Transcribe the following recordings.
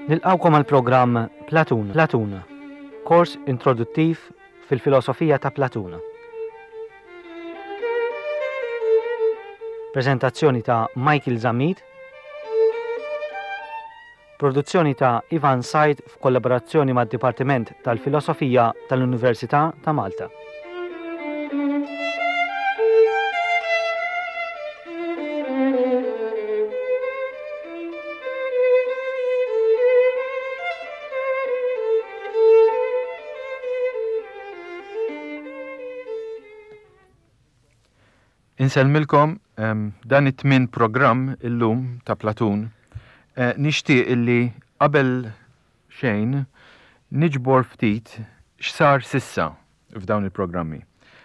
Nilqgħukom għall-programm Platun, Platun, kors introduttiv fil-filosofija ta' Platun. Preżentazzjoni ta' Michael Zammit, Produzzjoni ta' Ivan Said f'kollaborazzjoni mad-Dipartiment tal-Filosofija tal-Università ta' Malta. Insellmilkom dan it-tmien programm illum ta' Platun. Eh, nixtieq illi qabel xejn niġbor ftit x'sar sissa f'dawn il-programmi.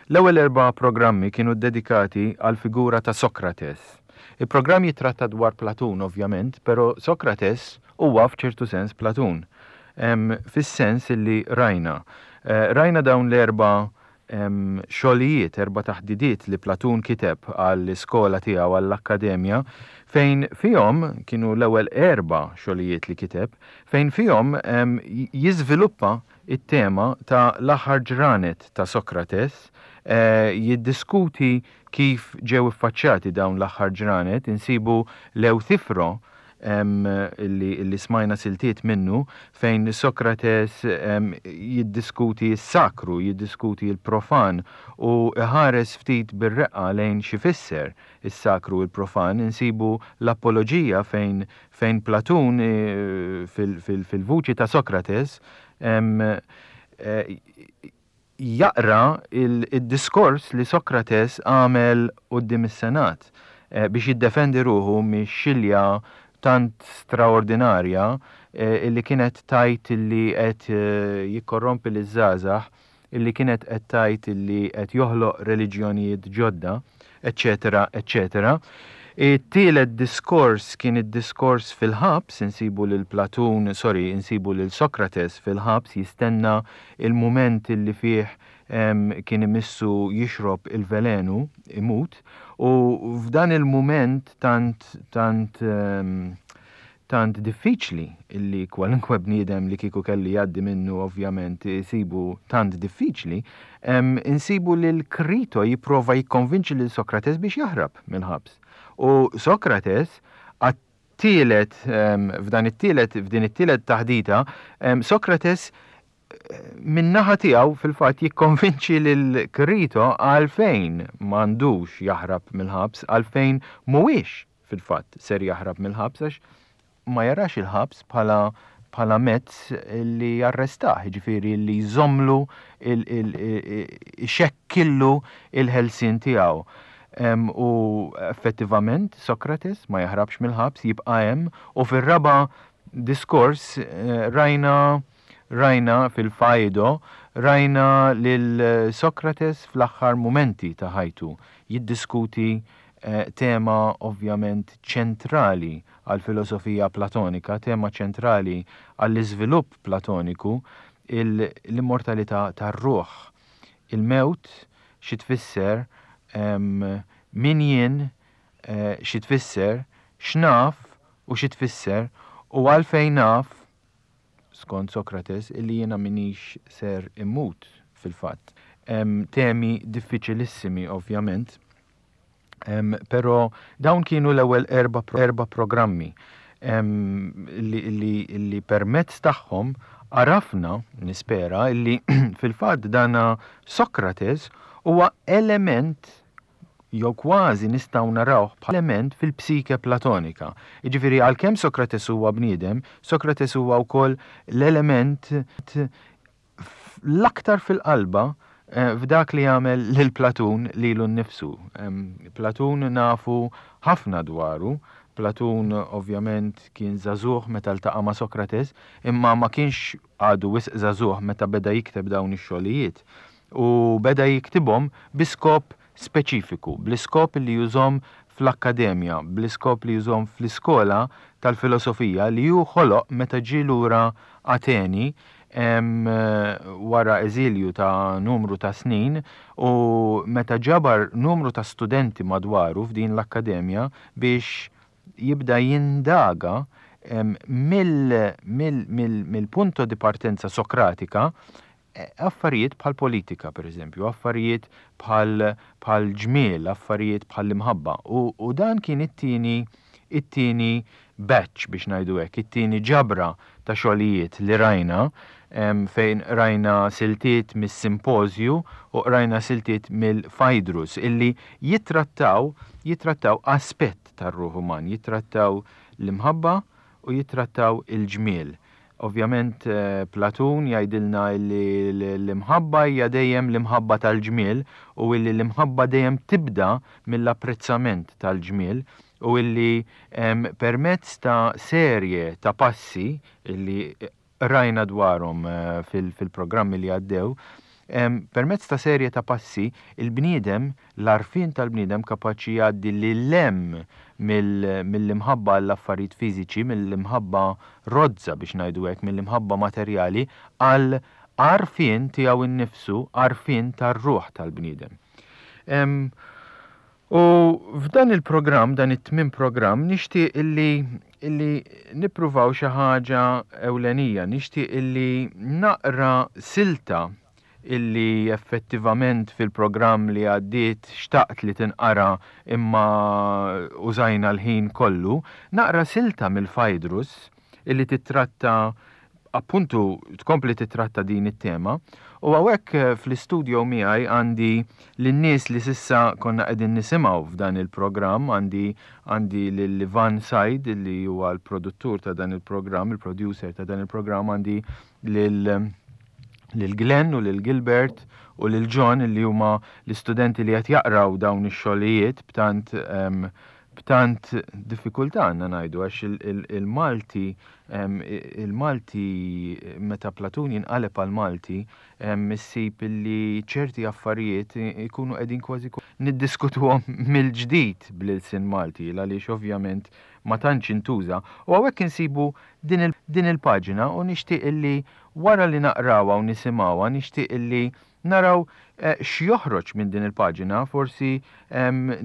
L-ewwel erba' programmi kienu ddedikati għall-figura ta' Sokrates. Il-programm jittratta dwar Platun ovvjament, però Sokrates huwa f'ċertu sens Platun. Fis-sens illi rajna. Eh, rajna dawn l-erba' xogħlijiet, erba' taħdidiet li Platun kiteb għall-iskola tiegħu, għall-akkademja, fejn fihom, kienu l-ewwel erba' xogħlijiet li kiteb, fejn fihom jiżviluppa t-tema ta' l-aħħar ġranet ta' Sokrates, jiddiskuti kif ġew iffaċċjati dawn l-aħħar ġranet, insibu l-Ewthifro, li smajna siltiet minnu, fejn Sokrates jiddiskuti s-sakru, jiddiskuti l-profan u iħares ftit bir-reqqa lejn x'ifisser is-sakru u l-profan, insibu l-Apoloġija fejn fejn Platun fil-vuċi ta' Sokrates jaqra d-diskors li Sokrates għamel quddiem is-Senat biex jiddefendi ruħu mix-xilja tant straordinarja li kienet tgħid li qed jikkorrompi liż-żgħażagħ, illi kienet qed tgħid illi qed joħloq reliġjonijiet ġodda, eċċetera, eċċetera. It-tielet diskors kien id-diskors fil-ħabs, insibu lil Platun, sorry, insibu lil Sokrates fil-ħabs jistenna il-mument illi fih kien imissu jixrob il-velenu, imut, u f'dan il-mument tant tant tant diffiċli illi kwalunkwe bniedem li kieku kellu jgħaddi minnu ovvjament isibu tant diffiċli, insibu lil Krito jipprova jikkonvinċi lil Sokrates biex jaħrab mill-ħabs. U Sokrates għat-tielet f'dan it-tielet f'din it-tielet taħdita, Sokrates min-naħa tiegħu fil-fatt jikkonvinċi lil Krito għalfejn m'għandux jaħrab mill-ħabs, għalfejn mhuwiex fil-fatt ser jaħrab mill-ħabs għax ma jarax il-ħabs bħala bħala mezz li jarrestah, jiġifieri li jżommlu ixekkillu il-ħelsien tiegħu. U effettivament Sokrates ma jaħrabx mill-ħabs, jibqa' hemm u fir-raba' diskors rajna Rajna fil-Faedo, rajna lil Sokrates fl-aħħar mumenti ta' ħajtu jiddiskuti tema ovvjament ċentrali għall-filosofija Platonika, tema ċentrali għall-iżvilupp Platoniku, l-immortalità tar-ruħ. Il-mewt xi tfisser, min jien, xi tfisser, x'naf u xi tfisser u għalfejn naf, skont Sokrates, illi jiena m'iniex ser immut fil-fatt. Temi diffiċilissimi ovvjament, però dawn kienu l-ewwel erba' erba' programmi li, li, li permezz tagħhom għarafna, nispera, illi fil-fatt dana Sokrates huwa element jew kważi nistgħu narawh bħala element fil-psike Platonika. Jiġifieri għalkemm Sokrates huwa bniedem, Sokrates huwa wkoll l-element l-aktar fil-qalba eh, f'dak li jagħmel lil Platun lilu nnifsu. Platun nafu ħafna dwaru. Platun ovvjament kien żagħżugħ meta ltaqa' ma' Sokrates, imma ma kienx għadu wisq żagħżugħ meta beda jikteb dawn ix-xogħlijiet. U beda jiktibhom bi skop speċifiku, bl-iskop li jużhom fl-akkademja, bl-iskop li jużhom fl-iskola tal-filosofija li hu ħoloq meta ġie lura Ateni wara eżilju ta' numru ta' snin u meta ġabar numru ta' studenti madwaru f'din l-akkademja biex jibda jindaga. mill-punto di partenza Sokratika affarijiet bħal politika, per eżempju, affarijiet bħal bħal ġmiel, affarijiet bħal imħabba. U, u dan kien it-tieni it-tieni batch biex ngħidu hekk, it-tieni ġabra ta' xogħlijiet li rajna fejn rajna siltiet mis-simpożju u rajna siltiet mill-Phaedrus illi jittrattaw jittrattaw aspett tar-ruħ uman, jittrattaw l-imħabba u jittrattaw il-ġmiel. Ovvjament Platun jgħidilna illi l-imħabba hija dejjem l-imħabba tal-ġmiel u illi l-imħabba dejjem tibda mill-apprezzament tal-ġmiel u illi permezz ta' serje ta' passi illi qrajna dwarhom fil-programmi li għaddew, permezz ta' serje ta' passi, il-bniedem, l-għarfien tal-bniedem kapaċi jgħaddi lil hemm mill-imħabba għall-affarijiet fiżiċi, mill-imħabba rozza biex ngħidu hekk, mill-imħabba materjali għal għarfien tiegħu nnifsu, għarfien tar-ruħ tal-bniedem. U f'dan il-programm, dan it-tmien programm, nixtieq illi illi nippruvaw xi ħaġa ewlenija, nixtieq illi naqra silta illi effettivament fil-programm li għaddiet xtaqt li tinqara imma użajna l-ħin kollu, naqra silta mill-Phaedrus illi titratta appuntu tkompli titratta din it-tema. U hawnhekk eh, fl-istudio miegħi għandi lin-nies li s'issa konna qegħdin nisimgħu f'dan il-programm, għandi għandi lil Ivan Said li huwa l-produttur ta' dan il-programm, il-producer ta' dan il-programm, għandi lil lil Glenn u lil Gilbert u lil John li huma l-istudenti li qed jaqraw dawn ix-xogħlijiet b'tant um, b'tant diffikultà għandna ngħidu għax il-Malti il-Malti meta Platun jinqaleb għal Malti issib li ċerti affarijiet ikunu qegħdin kważi niddiskutuhom mill-ġdid bl-ilsien Malti għaliex ovvjament ma tantx intuża. U hawnhekk insibu din il-paġna u nixtieq illi wara li naqrawha u nisimgħuha nixtieq illi Naraw x'joħroġ minn din il-paġina, forsi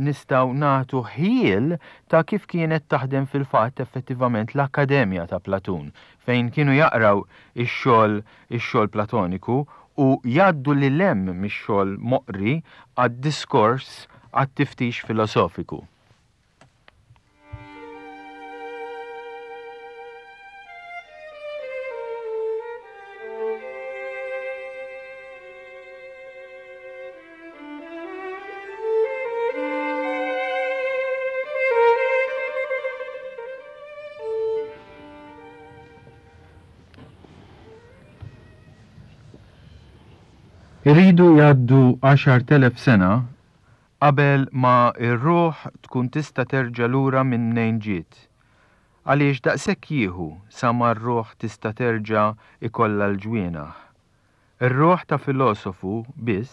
nistgħu nagħtu ħjiel ta' kif kienet taħdem fil-fatt effettivament l-Akkademja ta' Platun, fejn kienu jaqraw ix-xogħol ix-xogħol Platoniku u jgħaddu lil hemm mix-xogħol moqri għad-diskors għat-tiftix filosofiku. Iridu jgħaddu 10,000 sena Qabel ma r-ruħ tkun tista' terġa' lura minn mnejn ġiet. Għaliex daqshekk jieħu sa ma r-ruħ tista' terġa' jkollha l-ġwienaħ. Ir-ruħ ta' filosofu biss,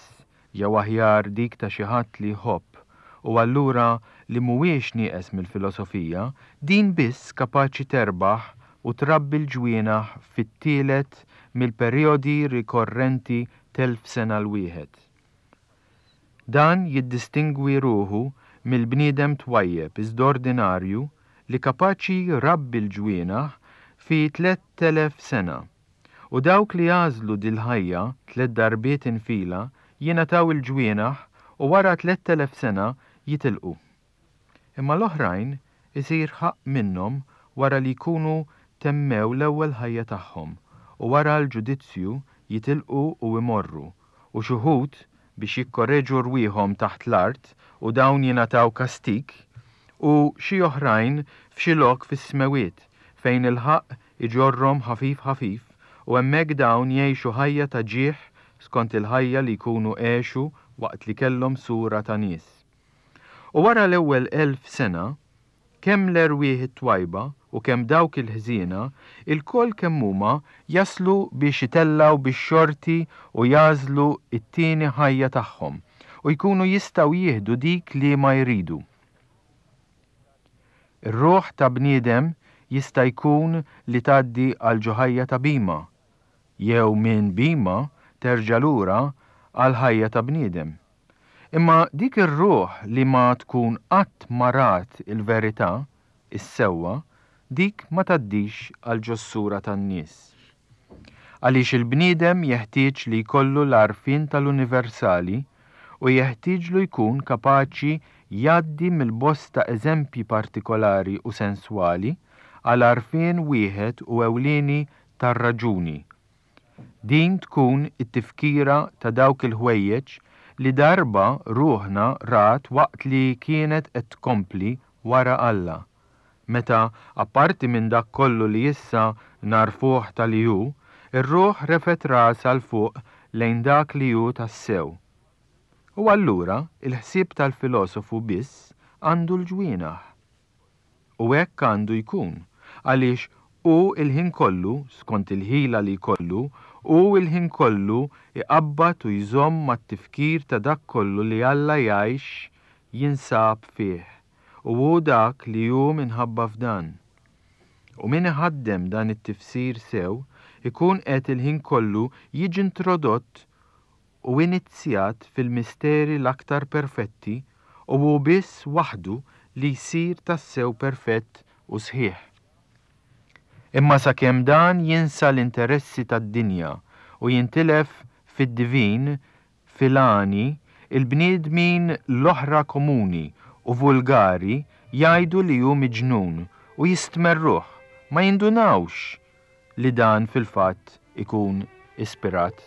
jew aħjar dik ta' xi ħadd li jħobb u allura li mhuwiex nieqes mill-filosofija, din biss kapaċi terbaħ u trabbi l-ġwienaħ fit-tielet mill-perijodi rikorrenti t'elf sena l-wieħed. Dan jiddistingwi ruħu mill-bniedem twajjeb iżda ordinarju li kapaċi jrabbi l-ġwienaħ fi 3000 sena. U dawk li jagħżlu dil-ħajja tlett darbiet infila jingħataw il-ġwienaħ u wara 3000 sena jitilqu. Imma l-oħrajn isir ħaqq minnhom wara li jkunu temmew l-ewwel ħajja tagħhom u wara l-ġudizzju jitilqu u imorru u x'uħud biex jikkoreġu rwieħhom taħt l-art u dawn jingħataw kastig, u xi oħrajn f'xi lok fis-smewwiet fejn il-ħaqq iġorrhom ħafif ħafif u hemmhekk dawn jgħixu ħajja ta' ġieħ skont il-ħajja li jkunu għexu waqt li kellhom sura ta' nies. U wara l-ewwel 1000 sena, Kemm l-erwieħ it-twajba u kemm dawk il-ħżiena, ilkoll kemm huma jaslu biex itellgħu bix-xorti u jagħżlu t-tieni ħajja tagħhom u jkunu jistgħu jieħdu dik liema jridu. Ir-ruħ ta' bniedem jista' jkun li tgħaddi għal ġo ħajja ta' bhima, jew minn bhima terġa' lura għal ħajja ta' bniedem. Imma dik ir-ruħ li ma tkun qatt ma rat il-verità, is-sewwa, dik ma tgħaddix għal ġos-sura tan-nies. Għaliex il-bniedem jeħtieġ li jkollu l-għarfien tal-universali u jeħtieġlu jkun kapaċi jgħaddi mill-bosta eżempji partikolari u senswali għal għarfien wieħed u ewlieni tar-raġuni. Din tkun it-tifkira ta' dawk il-ħwejjeġ li darba ruħna rat waqt li kienet qed tkompli wara Alla, meta, apparti minn dak kollu li issa nagħrfuh ta' li hu, ir-ruħ refgħet rasha 'l fuq lejn dak li hu tassew. U allura l-ħsieb tal-filosofu biss għandu l-ġwienaħ. U hekk għandu jkun, għaliex hu l-ħin kollu, skont il-ħila li jkollu, hu l-ħin kollu jqabbad u jżomm mat-tifkir ta' dak kollu li Alla jgħix jinsab fih, u hu dak li hu minħabba f'dan. U min iħaddem dan it-tifsir sew, ikun qed il-ħin kollu jiġi introdott u inizjat fil-misteri l-aktar perfetti u hu biss waħdu li jsir tassew perfett u sħiħ. Imma sakemm dan jinsa l-interessi tad-dinja u jintilef fid-divin, fil-għani, il-bniedmin l-oħra komuni u vulgari jgħidu li hu miġnun u jistmerruh, ma jindunawx li dan fil-fatt ikun ispirat.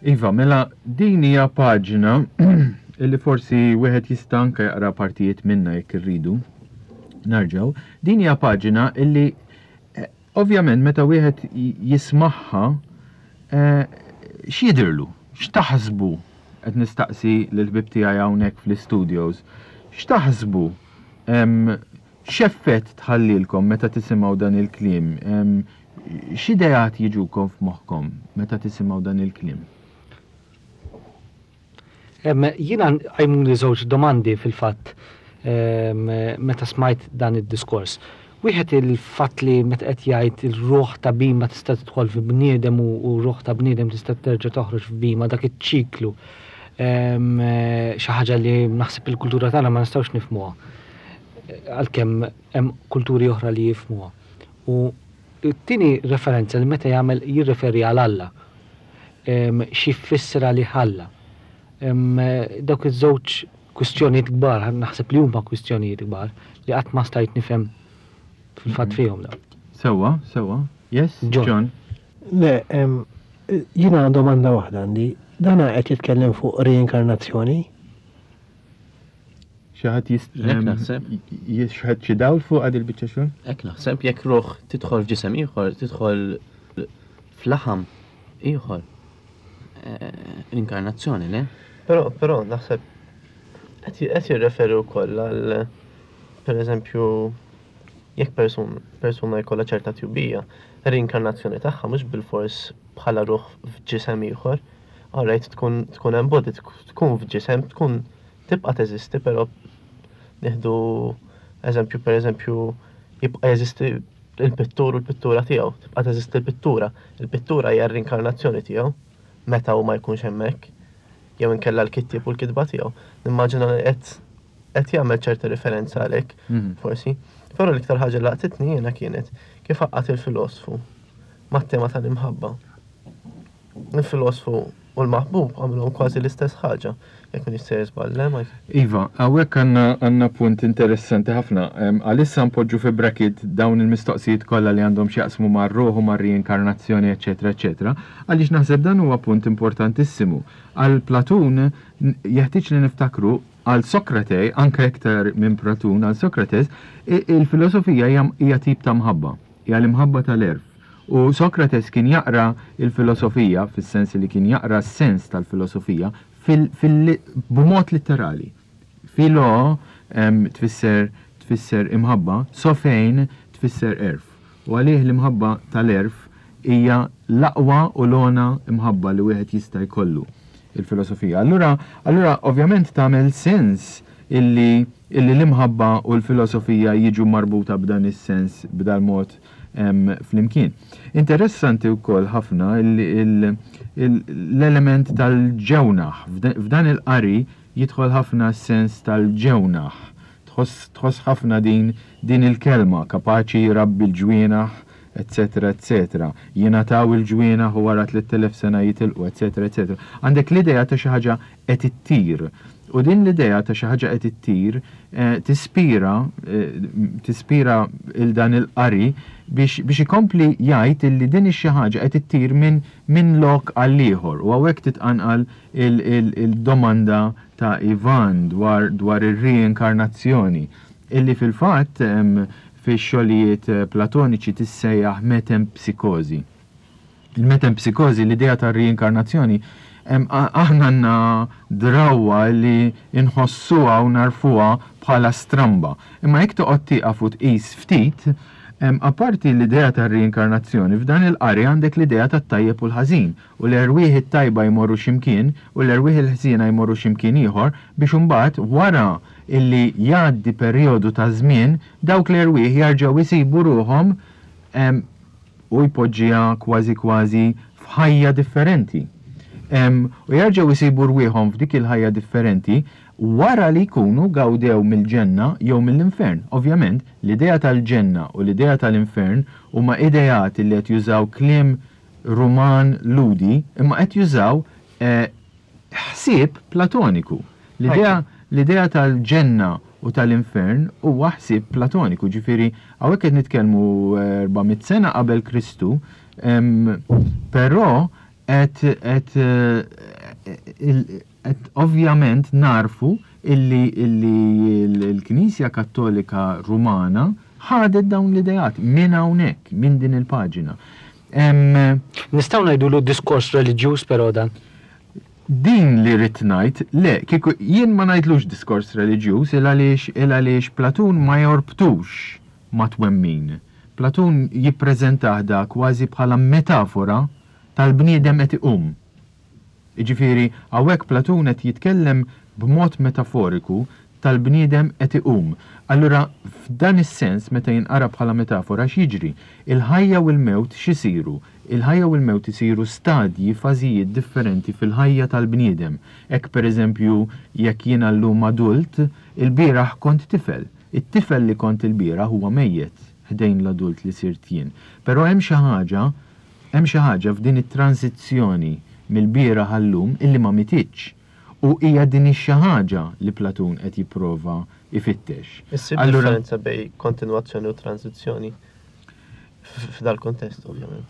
Iva, mela din hija paġna illi forsi wieħed jista' anke jaqra partijiet minnha jekk irridu. Narġgħu. Din hija paġna illi eh, ovvjament meta wieħed jismagħha eh, x'jidhirlu? X'taħsbu? Qed nistaqsi lill-ħbieb tiegħi hawnhekk fl-istudios. X'taħsbu? X'effett tħallilkom meta tisimgħu dan il-kliem? X'ideat jiġukom f'moħħkom meta tisimgħu dan il-kliem? Jiena qajmuli żewġ domandi fil-fatt meta smajt dan id-diskors. Wieħed il-fatt li meta qed jgħid ir-ruħ ta' bhima tista' tidħol fi bniedem u r-ruħ ta' bniedem tista' terġa' toħroġ f'bhima dak iċ-ċiklu. Xi ħaġa li naħseb il-kultura tagħna ma nistgħux nifhmuha. Għalkemm hemm kulturi oħra li jifhmuha. U t-tieni referenza li meta jagħmel jirreferi għal Alla. Xi jfisser għalih Alla. Dawk iż-żewġ kwistjonijiet kbar, naħseb li huma kwistjonijiet kbar li qatt ma stajt nifhem fil-fatt mhm. fihom dawn. Sewwa, sewwa. Yes, John. John. Le, jiena domanda waħda għandi. Dana qed jitkellem fuq reinkarnazzjoni? Xi ħadd jist. Hekk naħseb. Jixħet xi dawl fuq għad il-biċċa xogħol? Hekk naħseb jekk ruħ tidħol f'ġisem ieħor, tidħol f'laħam ieħor. Eh, inkarnazzjoni, le? Però, però naħseb qed jirreferi wkoll għal pereżempju jekk persun, persuna jkollha ċerta tjubija, rinkarnazzjoni tagħha mhux bilfors bħala ruħ f'ġisem ieħor. Alright, tkun tkun embodied, tkun f'ġisem, tkun tibqa' teżisti però nieħdu eżempju pereżempju jibqa' jeżisti il-pittur u l-pittura tiegħu, tibqa' teżisti l-pittura. Il-pittura hija r-rinkarnazzjoni tiegħu meta hu ma jkunx hemmhekk jew inkella l-kittieb u l-kitba tiegħu. Nimmaġina li qed qed jagħmel ċerta riferenza għalhekk, mhm. forsi. Però l-iktar ħaġa laqtitni jiena kienet kif għaqqad il-filosfu mat-tema tal-imħabba. Il-filosfu u l-maħbub għamilhom kważi l-istess ħaġa, jekk m'iniex sejjer żball, le Mike? Iva, hawnhekk għandna għandna punt interessanti ħafna. Għalissa npoġġu fi bracket dawn il-mistoqsijiet kollha li għandhom x'jaqsmu mar-ruħ u mar-riinkarnazzjoni eċċetera eċċetera, għaliex naħseb dan huwa punt importantissimu. Għal Platun jeħtieġ li niftakru għal Sokrate, anke iktar minn Platun, għal Sokrates, il-filosofija hija tip ta' mħabba, hija l-imħabba tal-għerf. U Sokrates kien jaqra l-filosofija, fis-sens li kien jaqra s-sens tal-filosofija, b'mod litterali. Philo tfisser tfisser imħabba, sophein tfisser għerf. U għalih l-imħabba tal-għerf hija l-aqwa u l-ogħna imħabba li wieħed jista' jkollu, il-filosofija. Allura, allura ovvjament tagħmel sens. illi illi l-imħabba u l-filosofija jiġu marbuta b'dan is-sens b'dal-mod flimkien. Interessanti wkoll ħafna l-element tal-ġewnaħ. F'dan il-qari jidħol ħafna s-sens tal-ġewnaħ. Tħoss ħafna din din il-kelma, kapaċi jrabbi l-ġwienaħ, eċċetera eċċetera. Jingħataw il-ġwienaħ u wara 3000 sena jitilqu, eċċetera eċċetera. Għandek l-idea ta' xi ħaġa qed ittir. U din l-idea ta' xi ħaġa qed ittir tispira tispira 'l dan il-qari biex biex ikompli jgħid illi din ix-xi ħaġa qed ittir minn minn lok għal ieħor. U hawnhekk titqanqal il-domanda ta' Ivan dwar dwar ir-riinkarnazzjoni illi fil-fatt fix-xogħlijiet Platoniċi tissejjaħ metempsikożi. Il-metempsikożi, l-idea tar-riinkarnazzjoni, aħna għandna drawwa li nħossuha u nagħrfuha bħala stramba. Imma jekk toqgħod tieqaf u tqis ftit, apparti l-idea tar-riinkarnazzjoni, f'dan il-qari għandek l-idea tat-tajjeb u l-ħażin, u l-erwieħ it-tajba jmorru xi mkien u l-erwieħ il-ħżiena jmorru xi mkien ieħor biex imbagħad wara illi jgħaddi perijodu ta' żmien dawk l-erwieħ jarġgħu jsibu ruħhom u jpoġġiha kważi kważi f'ħajja differenti. U jerġgħu jsibu rwieħhom f'dik il-ħajja differenti wara li jkunu gawdew mill-ġenna jew mill-infern. Ovvjament, l-idea tal-ġenna u l-idea tal-infern huma ideat li qed jużaw kliem Ruman Lhudi, imma qed jużaw ħsieb Platoniku. L-idea l-idea tal-ġenna u tal-infern huwa ħsieb Platoniku, ġifieri hawnhekk qed nitkellmu 400 sena qabel Kristu, però qed qed qed ovvjament nagħrfu illi illi l-Knisja Kattolika Rumana ħadet dawn l-ideat minn hawnhekk, minn din il-paġina. Nistgħu ngħidulu diskors reliġjuż però dan? Din li ridt ngħid, le, kieku jien ma ngħidlux diskors reliġjuż il għaliex il għaliex Platun ma jorbtux ma' twemmin. Platun jippreżentah da kważi bħala metafora tal-bniedem qed iqum. Jiġifieri, hawnhekk Platun qed jitkellem b'mod metaforiku tal-bniedem qed iqum. Allura, f'dan is-sens, meta jinqara bħala metafora, x'jiġri? Il-ħajja u l-mewt x'isiru? Il-ħajja u l-mewt isiru stadji, fażijiet differenti fil-ħajja tal-bniedem. Hekk, pereżempju, jekk jiena llum adult, ilbieraħ kont tifel. It-tifel li kont ilbieraħ huwa mejjet ħdejn l-adult li sirt jien. Però hemm xi ħaġa Hemm xi ħaġa f'din it-transizzjoni mill-bieraħ għal-lum illi ma mititx. U hija din ix-xi ħaġa li Platun qed jipprova jfittex. Issib differenza bejn kontinwazzjoni u transizzjoni f'dal-kuntest, ovvjament.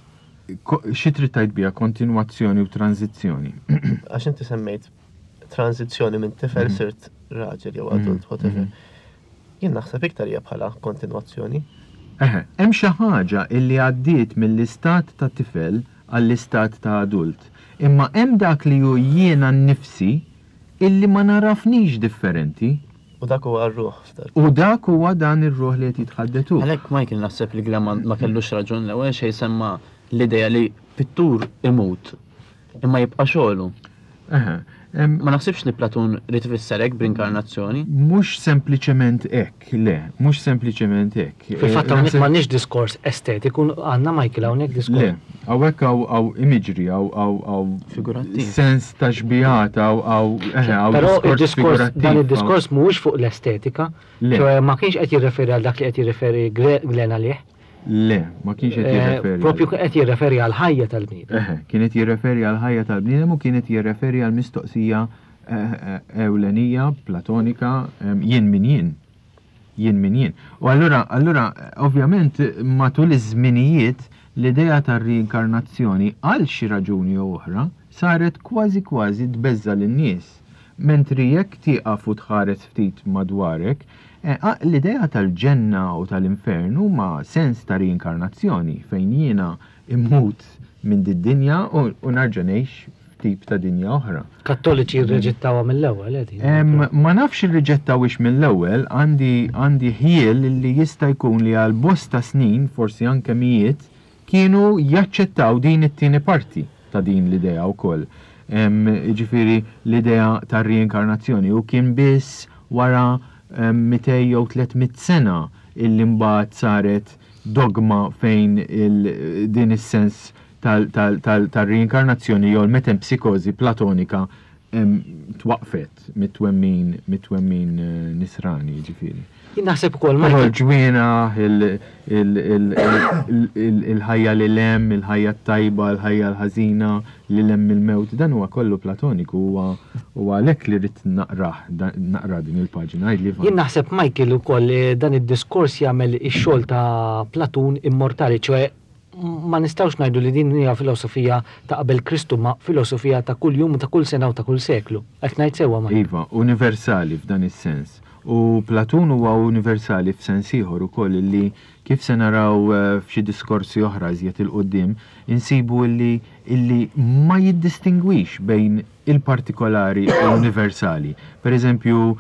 Xi trid tgħid biha kontinwazzjoni u transizzjoni? Għax inti semmejt transizzjoni minn tifel sirt raġel jew adult, whatever. Jien naħseb iktar hija bħala kontinwazzjoni. Eħe, hemm xi ħaġa illi għaddiet mill-istat ta' tifel għall-istat ta' adult, imma hemm dak li hu jiena nnifsi illi ma nagħrafnix differenti. U dak huwa r-ruħ f'dal. U dak huwa dan ir-ruħ li qed jitħaddet hu. Għalhekk Michael naħseb li Glenn ma kellux raġun l-ewwel xejn semma l-idea li pittur imut Imma jibqa' xogħlu. Eħe. Ma naħsibx li Platun ried ifisser hekk b'rinkarnazzjoni. Mhux sempliċement hekk, le, mhux sempliċement hekk. Fil-fatt hawnhekk m'għandniex diskors estetiku, għandna Michael hawnhekk diskors. Le, hawnhekk hawn imagery, hawn Figurattiv. Sens ta' xbihat, hawn eħe, hawn Però id-diskors dan id-diskors mhuwiex fuq l-estetika, ċoe ma kienx qed jirreferi għal dak li qed jirreferi Glenn għalih. Le, ma kienx qed jirreferi. Propju kien qed jirreferi għall-ħajja tal-bniedem. Eħe, kien qed jirreferi għall-ħajja tal-bniedem u kien qed jirreferi għall-mistoqsija ewlenija, platonika, jien min jien. Jien min jien. U allura, allura, ovvjament, matul iż-żminijiet, l-idea tar-riinkarnazzjoni għal xi raġuni jew oħra saret kważi kważi tbeżża' lin-nies. Mentri jekk tieqaf u tħares ftit madwarek, L-idea tal-ġenna u tal-infern huma sens ta' riinkarnazzjoni fejn jiena mmut minn did-dinja u nerġa' ngħix f'tip ta' dinja oħra. Kattoliċi rriġettawha mill-ewwel, eh, din. Ma nafx irriġettawhiex mill-ewwel, għandi għandi ħjiel li jista' jkun li għal bosta snin, forsi anke mijiet, kienu jaċċettaw din it-tieni parti ta' din l-idea wkoll. Jiġifieri l-idea tar-riinkarnazzjoni u kien biss wara 200 jew 300 sena illi mbagħad saret dogma fejn din is-sens tal-reinkarnazzjoni jew l-metempsikożi platonika twaqqfet mit-twemmin mit-twemmin nisrani, jiġifieri. Jien naħseb ukoll Però l-ġwienaħ, il-ħajja lil hemm, il-ħajja t-tajba, il-ħajja l-ħażina, lil hemm mill-mewt, dan huwa kollu platoniku, huwa huwa għalhekk li ridt naqrah, naqra din il-paġna. Għidli Ivan. Jien naħseb Michael ukoll dan id-diskors jagħmel ix-xogħol ta' Platun immortali, ċoe ma nistgħux ngħidu li din hija filosofija ta' qabel Kristu ma filosofija ta' kull jum u ta' kull sena u ta' kull seklu. Qed ngħid sewwa Michael? Iva, universali f'dan is-sens. U Platun huwa universali f'sens ieħor ukoll illi kif se naraw f'xi diskorsi oħra iżjed 'il quddiem, insibu illi illi ma jiddistingwix bejn il-partikolari u l-universali. Per eżempju,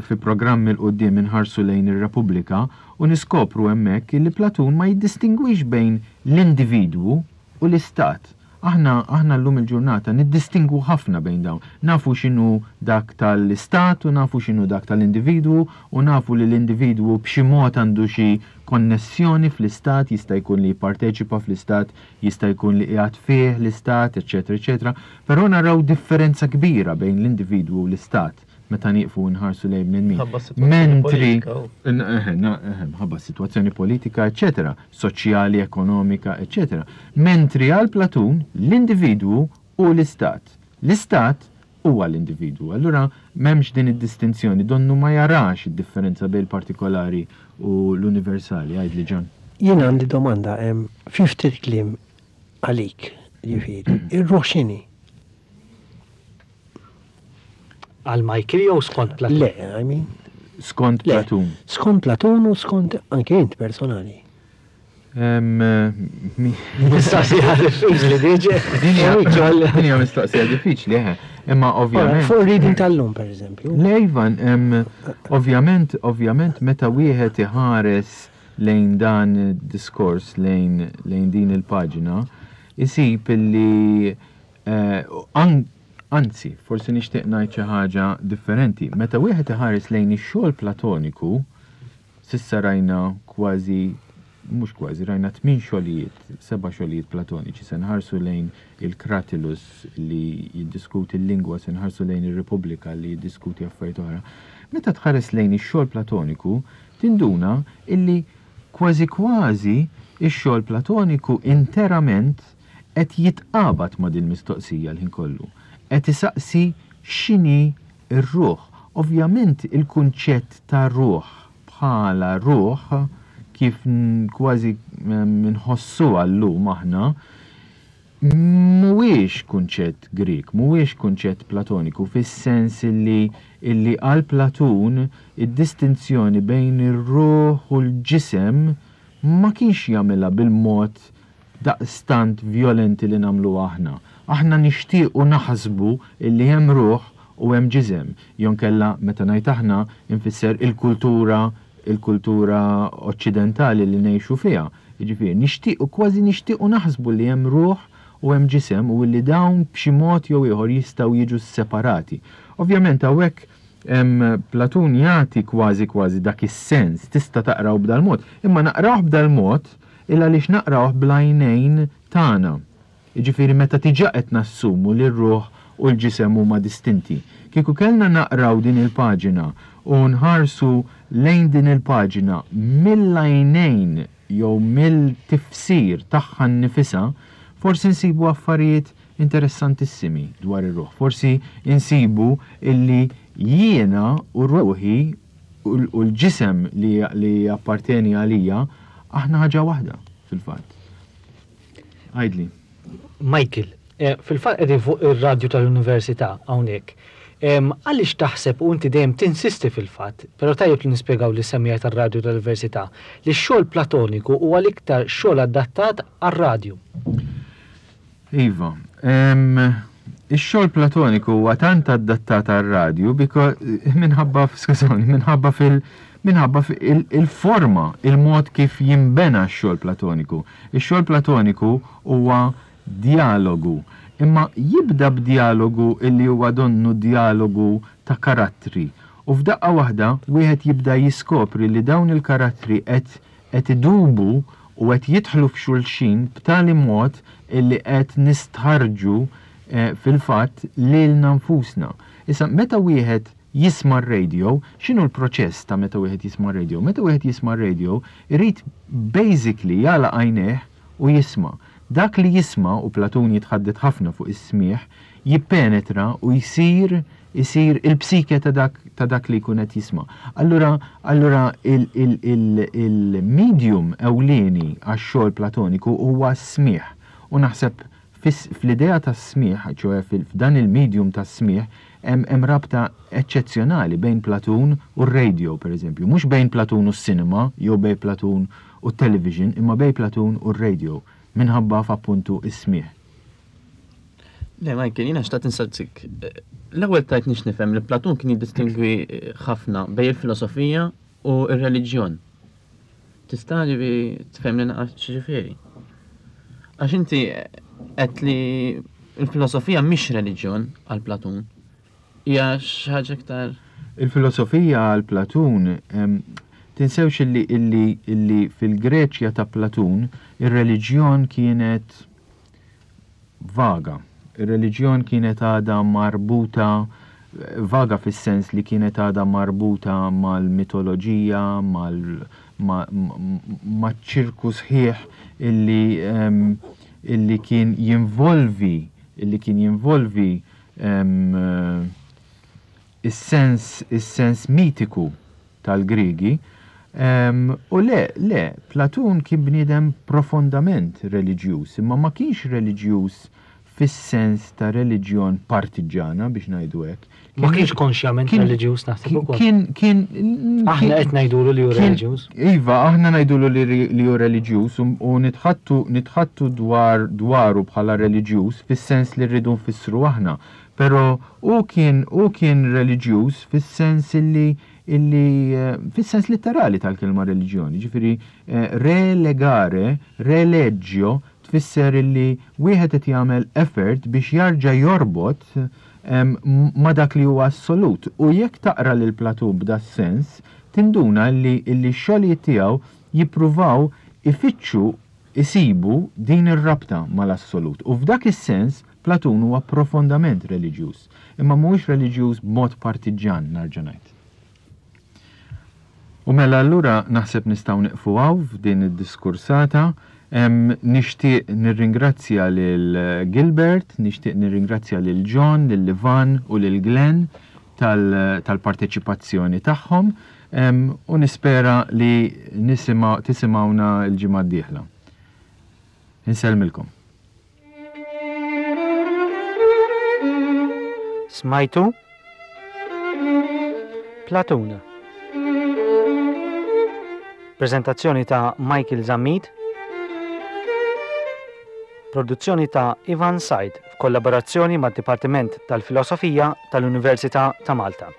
fi programm 'il quddiem inħarsu lejn ir-Repubblika u niskopru hemmhekk illi Platun ma jiddistingwix bejn l-individwu u l-istat. Aħna, aħna llum il-ġurnata niddistingwu ħafna bejn dawn. Nafu x'inhu dak tal-istat u nafu x'inhu dak tal-individwu u nafu li l-individwu b'xi mod għandu xi konnessjoni fl-istat, jista' jkun li jipparteċipa fl-istat, jista' jkun li qiegħed fih l-istat, eċċetera, eċċetera. Però naraw differenza kbira bejn l-individwu u l-istat. meta nieqfu nħarsu lejn bnedmin. Ħabba s-sitwazzjoni Mentri, politika. u. eħe, na- eħe, mħabba s-sitwazzjoni politika, eċċetera, soċjali, ekonomika, eċċetera. Mentri għal Platun, l-individwu hu l-istat. L-istat huwa l-individwu. Allura m'hemmx din id-distinzjoni, donnu ma jarax id-differenza bejn il-partikolari u l-universali. Għidli Ġan. Jien għandi domanda, fi ftit kliem għalik, jiġifieri, ir-ruħ x'inhi? Għal Michael jew skont Platun? Le, I mean. Skont Platun. Skont Platun u skont anke int personali. Mistoqsija diffiċli diġi. Din hija mistoqsija diffiċli, eħe. Imma ovvjament. Fuq reading tal-lum, per eżempju. Le, Ivan, ovvjament, ovvjament, meta wieħed iħares lejn dan id-diskors, lejn din il-paġna, isib illi Anzi, forsi nixtieq ngħid xi ħaġa differenti. Meta wieħed iħares lejn ix-xogħol Platoniku, s'issa rajna kważi, mhux kważi, rajna tmien xogħlijiet, seba' xogħlijiet Platoniċi. Se nħarsu lejn il-Cratylus li jiddiskuti l-lingwa, se nħarsu lejn ir-Repubblika li jiddiskuti affarijiet oħra. Meta tħares lejn ix-xogħol Platoniku, tinduna illi kważi kważi x-xogħol Platoniku interament qed jitqabad ma' dil-mistoqsija l-ħin kollu. Qed isaqsi x'inhi r-ruħ. Ovvjament il-kunċett ta' ruħ bħala ruħ kif kważi nħossuha llum aħna, mhuwiex kunċett Grieg, mhuwiex kunċett Platoniku fis-sens illi illi għal Platun id-distinzjoni bejn ir-ruħ u l-ġisem ma kienx jagħmilha bil-mod daqstant vjolenti li nagħmluha aħna. Aħna nixtiequ naħsbu illi hemm ruħ u hemm ġisem, jonkella meta ngħid aħna nfisser il-kultura il-kultura oċċidentali li ngħixu fiha. Jiġifieri nixtiequ kważi nixtiequ naħsbu li hemm ruħ u hemm ġisem u illi dawn b'xi mod jew ieħor jistgħu jiġu sseparati. Ovvjament hawnhekk Platun jagħti kważi kważi dak is-sens, tista' taqraw b'dal-mod, imma naqrawh b'dal-mod Il għaliex naqrawh bl-għajnejn tagħna. Jiġifieri meta diġà qed nassumu li r-ruħ u l-ġisem huma distinti. Kieku kellna naqraw din il-paġina u nħarsu lejn din il-paġina mill-għajnejn jew mill-tifsir tagħha nnifisha, forsi nsibu affarijiet interessantissimi dwar ir-ruħ. Forsi nsibu illi jiena u ruħi u l-ġisem li japparteni għalija, aħna ħaġa waħda, fil-fatt. Għidli. Michael, eh, fil-fatt qegħdin fuq ir-radju tal-Università hawnhekk. Għaliex taħseb u inti dejjem tinsisti fil-fatt, però tajjeb li nispjegaw lis semmiegħa tar-radju tal-Università, li x-xogħol Platoniku huwa l-iktar xogħol adattat għar-radju. Iva. Ix-xogħol platoniku huwa tant adattat għar-radju minħabba, skużawni, minħabba fil minħabba il-forma, il-mod kif jinbena x-xogħol platoniku. Ix-xogħol platoniku huwa djalogu, imma jibda b'djalogu illi huwa donnu djalogu ta' karattri. U f'daqqa waħda wieħed jibda jiskopri li dawn il-karattri qed qed idubu u qed jidħlu f'xulxin b'tali mod illi qed nistħarrġu fil-fatt lilna nfusna. Issa meta wieħed jisma' r-radio, x'inhu l-proċess ta' meta wieħed jisma' r-radio? Meta wieħed jisma' r-radio irid basically jagħlaq għajnejh u jisma'. Dak li jisma', u Platun jitħaddet ħafna fuq is-smigħ, jippenetra u jsir isir il-psike ta' dak ta' dak li jkun qed jisma'. Allura allura il-medium ewlieni għax-xogħol Platoniku huwa s-smigħ u naħseb fl-idea tas-smigħ, ċoe f'dan il-medium tas-smigħ hemm hemm rabta eċċezzjonali bejn Platun u r-radio, pereżempju. Mhux bejn Platun u s-cinema jew bejn Platun u t-television, imma bejn Platun u r-radio minħabba f'appuntu s-smigħ. Le, Michael, jiena xtaqt insaqsik. L-ewwel tajt nix nifhem li Platun kien jiddistingwi ħafna bejn il-filosofija u r-reliġjon. Tista' ġifi tfehmni naqra x'ġifieri? Għax inti qed li l-filosofija mhix reliġjon għal Platun. Hija xi ħaġa iktar. Il-filosofija għal Platun, tinsewx illi illi illi fil-Greċja ta' Platun ir-reliġjon kienet vaga. Ir-reliġjon kienet għadha marbuta, vaga fis-sens li kienet għadha marbuta mal-mitoloġija, maċ-ċirku sħiħ illi illi kien jinvolvi illi kien jinvolvi is-sens is-sens mitiku tal-Griegi. U le, le, Platun kien bniedem profondament reliġjuż, imma ma kienx reliġjuż fis-sens ta' reliġjon partiġġana biex ngħidu hekk. Ma kienx konxjament reliġjuż naħseb ukoll. Kien kien Aħna qed ngħidulu li hu reliġjuż. Iva, aħna ngħidulu li hu reliġjuż u nitħaddtu nitħaddtu dwar dwaru bħala reliġjuż fis-sens li rridu nfissru aħna. Però hu kien hu kien reliġjuż fis-sens illi illi fis-sens litterali tal-kelma reliġjon, jiġifieri relegare, relegio tfisser illi wieħed qed jagħmel effort biex jarġa' jorbot ma' dak li huwa assolut. U jekk taqra lil Platun b'das-sens, tinduna illi illi x-xogħlijiet tiegħu jippruvaw ifittxu isibu din ir-rabta mal-assolut. U f'dak is-sens Platun huwa profondament reliġjuż, imma mhuwiex reliġjuż b'mod partiġġan, narġa' ngħid. U mela allura naħseb nistgħu nieqfu hawn f'din id-diskursata. Nixtieq nirringrazzja lil Gilbert, nixtieq nirringrazzja lil John, lil Ivan u lil Glenn tal-parteċipazzjoni tagħhom u nispera li tisimgħuna l-ġimgħa d-dieħla. Insellmilkom. Smajtu? Platun. Prezentazzjoni ta' Michael Zammit. Produzzjoni ta' Ivan Said f'kollaborazzjoni mad-Dipartiment tal-Filosofija tal-Università ta' Malta.